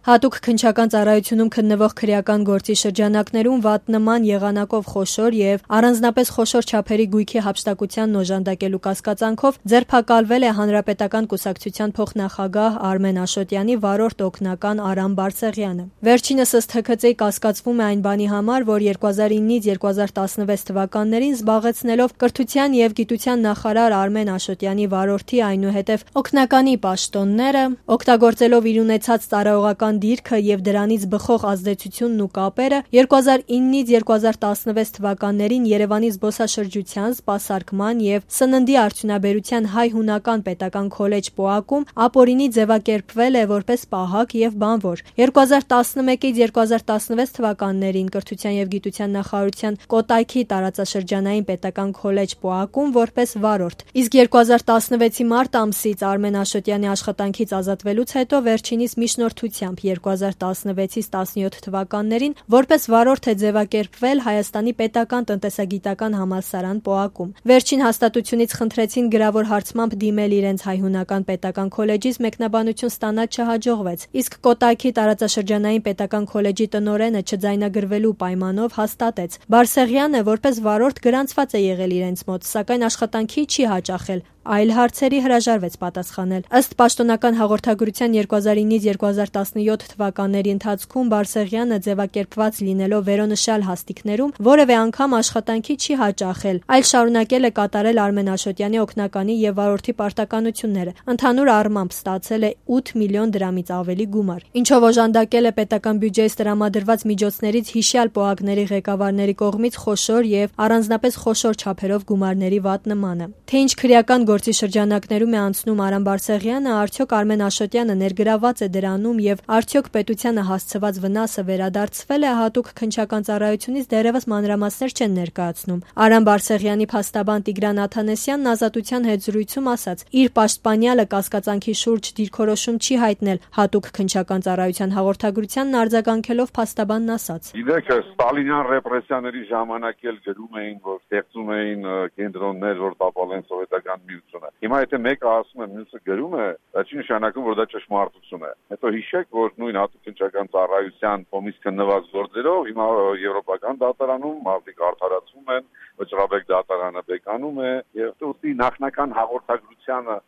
Հատուկ քննչական ծառայությունում քննվող քրեական գործի շրջանակներում վատնման եղանակով խոշոր եւ առանձնապես խոշոր չափերի գույքի հափշտակությանն օժանդակելու կասկածանքով ձերբակալվել է Հանրապետական կուսակցության փոխնախագահ Արմեն Աշոտյանի վարորդ օգնական Արամ Բարսեղյանը։ Վերջինս ըստ ՀՔԾ-ի կասկածվում է այն բանի համար, որ 2009-ից 2016 թվականներին զբաղեցնելով կրթության եւ գիտության նախարար Արմեն Աշոտյանի վարորդի այնուհետև օգնականի պաշտոնները, օգտագործելով իր ունեցած ծառայողական դիրքը եւ դրանից բխող ազդեցությունն ու կապերը 2009-ից 2016 թվականներին Երևանի զբոսաշրջության, սպասարկման եւ սննդի արդյունաբերության հայ-հունական պետական քոլեջ ՊՕԱԿ-ում ապօրինի ձևակերպվել է որպես պահակ եւ բանվոր։ 2011-ից 2016 թվականներին կրթության եւ գիտության նախարարության Կոտայքի տարածաշրջանային պետական քոլեջ ՊՕԱԿ-ում որպես վարորդ։ Իսկ 2016-ի մարտ ամսից Արմեն Աշոտյանի աշխատանքից ազատվելուց հետո վերջինիս միջնորդությամբ 2016-ից 17 թվականներին որպես վարորդ է ձևակերպվել Հայաստանի պետական տնտեսագիտական համալսարան ՊՕԱԿ-ում։ Վերջին հաստատությունից խնդրեցին գրավոր հարցմամբ դիմել իրենց հայ-հունական պետական քոլեջից մեկնաբանություն ստանալ չհաջողվեց, իսկ Կոտայքի տարածաշրջանային պետական քոլեջի տնօրենը չձայնագրվելու պայմանով հաստատեց։ Բարսեղյանը որպես վարորդ գրանցված է եղել իրենց մոտ, սակայն աշխատանքի չի հաճախել, այլ հարցերի հրաժարվեց պատասխանել։ Ըստ պաշտոնական հաղորդագրության 2009-ից 2017 թվականների ընթացքում Բարսեղյանը ձևակերպված լինելով վերոնշյալ հաստիկներում որևէ անգամ աշխատանքի չի հաճախել, այլ շարունակել է կատարել Արմեն Աշոտյանի օգնականի եւ վարորդի պարտականությունները։ Ընդհանուր առմամբ ստացել է 8 միլիոն դրամից ավելի գումար, ինչով օժանդակել է պետական բյուջեից տրամադրված միջոցներից հիշյալ ՊՕԱԿ-ների ղեկավարների կողմից խոշոր եւ առանձնապես խոշոր չափերով գումարների վատնմանը։ Թե ինչ քրեական գործի շրջանակներում է անցնում Արամ Բարսեղյանը, արդյոք Արմեն Աշոտյանը ներգրաված է դրանում եւ արդյոք պետությանը հասցված վնասը վերադարձվել է, հատուկ քննչական ծառայությունից դեռևս մանրամասներ չեն ներկայացնում։ Արամ Բարսեղյանի փաստաբան Տիգրան Աթանեսյանն Ազատության հետ զրույցում ասաց. իր պաշտպանյալը կասկածանքի շուրջ դիրքորոշում չի հայտնել, հատուկ քննչական ծառայության հաղորդագրությանն արձագանքելով փաստաբանն ասաց. Գիտեք, ստալինյան ռեպրեսիաների ժամանակ էլ գրում էին, որ ստեղծում էին կենտրոններ, որ տապալեն սովետական միությունը։ Հիմա եթե մեկը ասում է, մյուսը գրում է, դա չի նշանակում, որ դա ճշմարտություն է։ Հետո հիշեք, որ նույն հատուկ քննչական ծառայության կողմից քննված գործերով հիմա եվրոպական դատարանում մարդիկ արդարացվում են, վճռաբեկ դատարանը բեկանում է եւ ուստի նախնական հաղորդագրությանը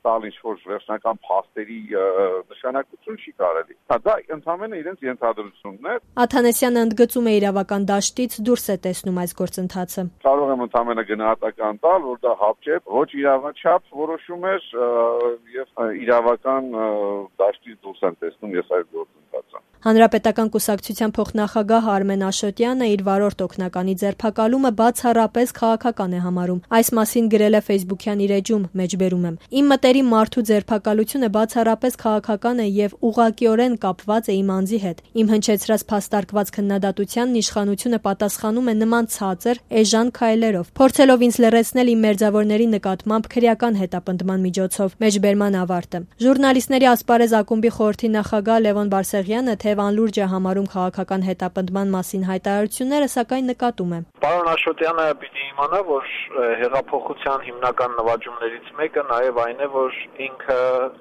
տալ ինչ-որ վերջնական փաստերի նշանակություն չի կարելի։ Դա ընդհանրապես իրենց ենթադրությունն է։ Աթանեսյանը ընդգծում է իրավական դաշտից դուրս է տեսնում այս գործընթացը։ Կարող եմ ընդհանրապես գնահատական տալ, որ դա հապճեպ ոչ իրավաչափ որոշում էր եւ իրավական դաշտից դուրս են տեսնում ես այս գործընթացը։ Հանրապետական կուսակցության փոխնախագահ Արմեն Աշոտյանը իր վարորդ օգնականի ձերբակալումը բացառապես քաղաքական է համարում։ Այս մասին գրել է Facebook-յան իր էջում, մեջբերում եմ. Իմ մտերիմ մարդու ձերբակալությունը բացառապես քաղաքական է եւ ուղղակիորեն կապված է իմ անձի հետ։ Իմ հնչեցրած փաստարկված քննադատությանն իշխանությունը պատասխանում է նման ցածր, էժան քայլերով, փորձելով ինձ լռեցնել իմ մերձավորների նկատմամբ քրեական հետապնդման միջոցով։ Մեջբերման ավարտը։ Ժուրնալիստների ասպարեզ ակումբի խորհրդի նախագահ Լևոն Բարսեղյանը թեև անլուրջ է համարում քաղաքական հետապնդման մասին հայտարարությունները, սակայն նկատում է. Պարոն Աշոտյանը պիտի իմանա, որ հեղափոխության հիմնական նվաճումներից մեկը նաև այն է, որ ինքը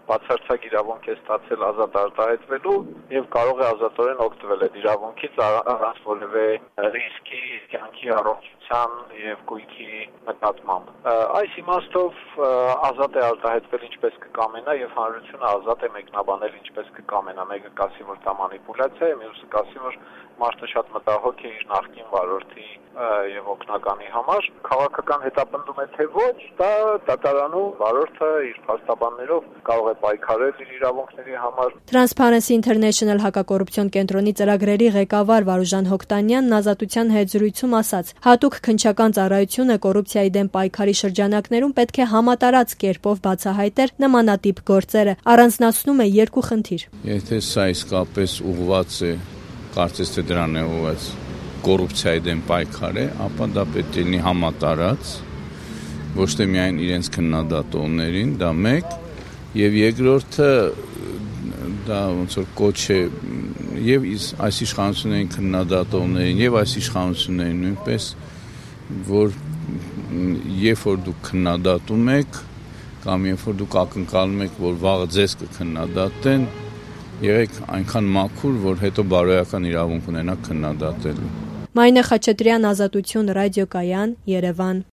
բացարձակ իրավունք է ստացել ազատ արտահայտվելու եւ կարող է ազատորեն օգտվել այդ իրավունքից առանց որևէ ռիսկի կյանքի առողջության եւ գույքի նկատմամբ։ Այս իմաստով ազատ է արտահայտվել ինչպես կկամենա եւ հանրությունը ազատ է մեկնաբանել ինչպես կկամենա։ Մեկը կասի, որ դա մանիպուլյացիա է, մյուսը կասի, որ մարդը շատ մտահոգ է իր նախկին վարորդի եւ օգնականի համար։ Քաղաքական հետապնդում է թե ոչ, դա դատարանում վարորդը իր փաստաբաններով կարող է պայքարել իր իրավունքների համար։ Transparency International հակակոռուպցիոն կենտրոնի ծրագրերի ղեկավար Վարուժան Հոկտանյանն Ազատության հետ զրույցում ասաց. հատուկ քննչական ծառայությունը կոռուպցիայի դեմ պայքարի շրջանակներում պետք է համատարած կերպով բացահայտեր նմանատիպ գործերը, առանձնացնում է երկու խնդիր։ Եթե սա իսկապես ուղղված է, կարծես թե դրան է ուղղված կոռուպցիայի դեմ պայքար է, ապա դա պետք է լինի համատարած, ոչ թե միայն իրենց քննադատողներին, դա մեկ, եւ երկրորդը դա ոնց որ կոչ է եւ այս իշխանություններին քննադատողներին եւ այս իշխանություններին նույնպես, որ երբ որ դուք քննադատում եք կամ երբ որ դուք ակնկալում եք, որ վաղը ձեզ կքննադատեն, եղեք այնքան մաքուր, որ հետո բարոյական իրավունք ունենաք քննադատելու։ Մարինե Խաչատրյան, Ազատություն ռադիոկայան, Երևան։